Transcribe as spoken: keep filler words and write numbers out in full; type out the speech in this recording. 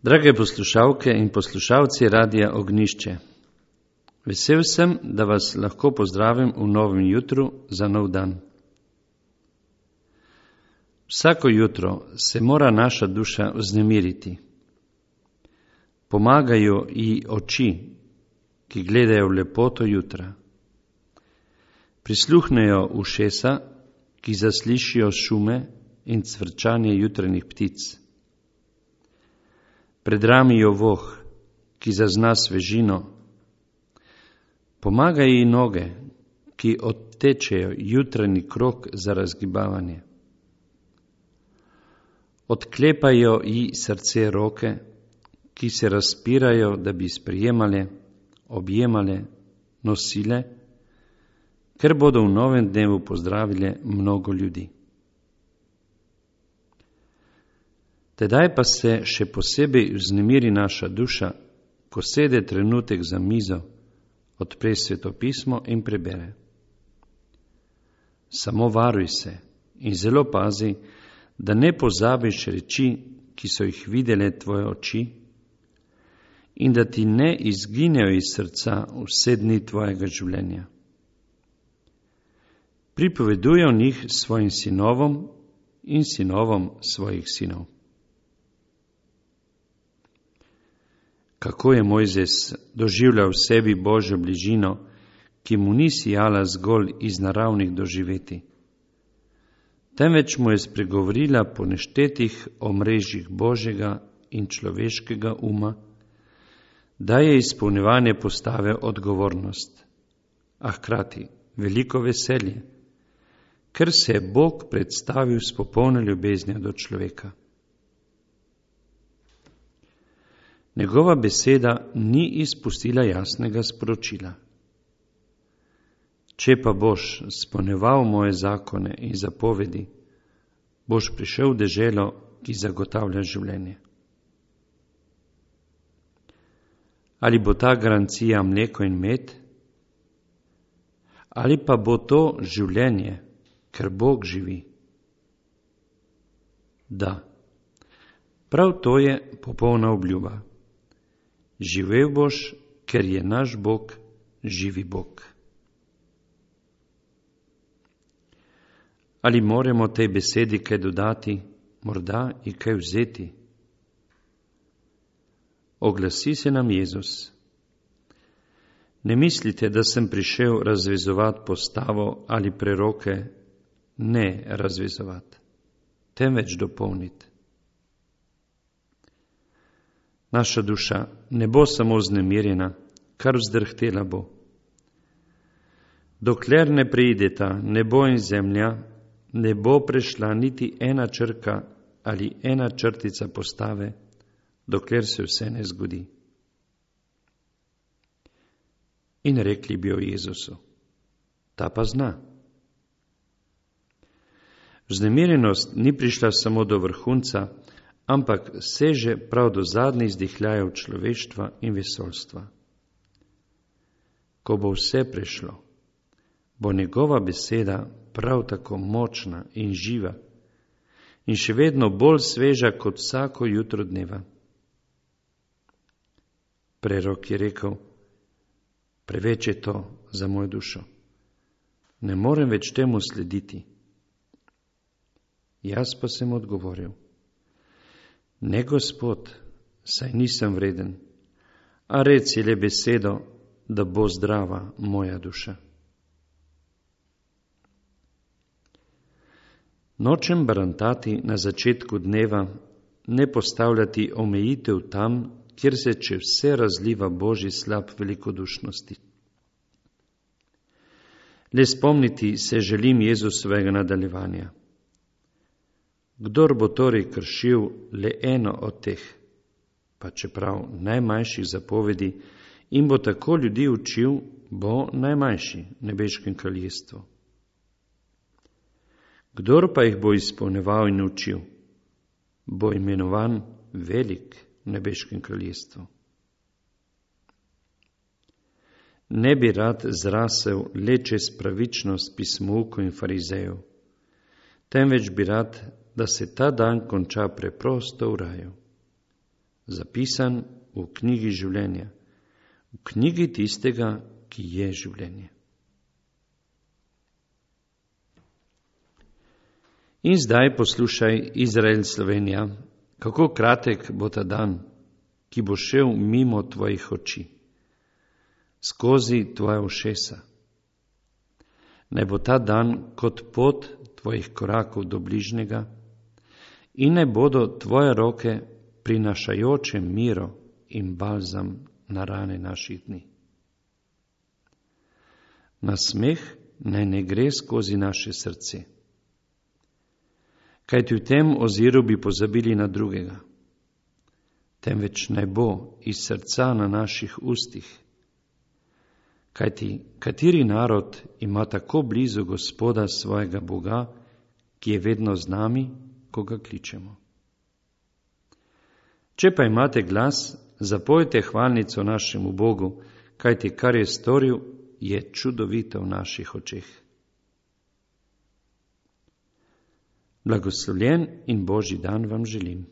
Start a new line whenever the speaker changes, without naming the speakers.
Drage poslušalke in poslušalci Radia Ognjišče, vesel sem, da vas lahko pozdravim v novem jutru za nov dan. Vsako jutro se mora naša duša vznemiriti. Pomagajo ji oči, ki gledajo v lepoto jutra. Prisluhnejo ušesa, ki zaslišijo šume in cvrčanje jutranjih ptic. Predramijo voh, ki zazna svežino. Pomagajo ji noge, ki odtečejo jutranji krog za razgibavanje. Odklepajo ji srce roke, ki se razpirajo, da bi sprejemale, objemale, nosile, ker bodo v novem dnevu pozdravile mnogo ljudi. Tedaj pa se še posebej vznemiri naša duša, ko sede trenutek za mizo, odpre svetopismo in prebere. Samo varuj se in zelo pazi, da ne pozabiš reči, ki so jih videle tvoje oči, in da ti ne izginejo iz srca vse dni tvojega življenja. Pripoveduj o njih svojim sinovom in sinovom svojih sinov. Kako je Mojzes doživljal v sebi Božjo bližino, ki mu ni sijala zgolj iz naravnih doživeti, temveč mu je spregovorila po neštetih omrežjih Božjega in človeškega uma, da je izpolnjevanje postave odgovornost, a hkrati veliko veselje, ker se je Bog predstavil s popolno ljubeznijo do človeka. Njegova beseda ni izpustila jasnega sporočila. Če pa boš izpolnjeval moje zakone in zapovedi, boš prišel v deželo, ki zagotavlja življenje. Ali bo ta garancija mleko in med? Ali pa bo to življenje, ker Bog živi? Da, prav to je popolna obljuba. Živel boš, ker je naš Bog živi Bog. Ali moramo tej besedi kaj dodati, morda in kaj vzeti? Oglasi se nam Jezus. Ne mislite, da sem prišel razvezovati postavo ali preroke, ne razvezovati, temveč dopolniti. Naša duša ne bo samo vznemirjena, kar vzdrhtela bo. Dokler ne preideta nebo in zemlja, ne bo prešla niti ena črka ali ena črtica postave, dokler se vse ne zgodi. In rekli bi o Jezusu, ta pa zna. Vznemirjenost ni prišla samo do vrhunca, ampak seže prav do zadnjih izdihljajev človeštva in vesoljstva. Ko bo vse prešlo, bo njegova beseda prav tako močna in živa in še vedno bolj sveža kot vsako jutro dneva. Prerok je rekel, preveč je to za mojo dušo. Ne morem več temu slediti. Jaz pa sem odgovoril, ne, Gospod, saj nisem vreden, a reci le besedo, da bo zdrava moja duša. Nočem barantati na začetku dneva, ne postavljati omejitev tam, kjer se če vse razliva Božji slab velikodušnosti. Le spomniti se želim Jezusovega nadaljevanja. Kdor bo torej kršil le eno od teh, pa čeprav najmanjših zapovedi, in bo tako ljudi učil, bo najmanjši v nebeškem kraljestvu. Kdor pa jih bo izpolnjeval in učil, bo imenovan velik v nebeškem kraljestvu. Ne bi rad zrasel le čez pravičnost pismoukov in farizejev, temveč bi rad, da se ta dan konča preprosto v raju. zapisan v knjigi življenja, v knjigi tistega, ki je življenje. In zdaj poslušaj, Izrael, Slovenija, kako kratek bo ta dan, ki bo šel mimo tvojih oči, skozi tvoje ušesa. Naj bo ta dan kot pot tvojih korakov do bližnjega in naj bodo tvoje roke prinašajoče miro in balzam na rane naših dni. Nasmeh naj ne gre skozi naše srce, kajti v tem oziru bi pozabili na drugega, temveč naj bo iz srca na naših ustih, kajti kateri narod ima tako blizu Gospoda svojega Boga, ki je vedno z nami, ko ga kličemo. Če pa imate glas, zapojte hvalnico našemu Bogu, kajti kar je storil, je čudovito v naših očeh. Blagoslovljen in Božji dan vam želim.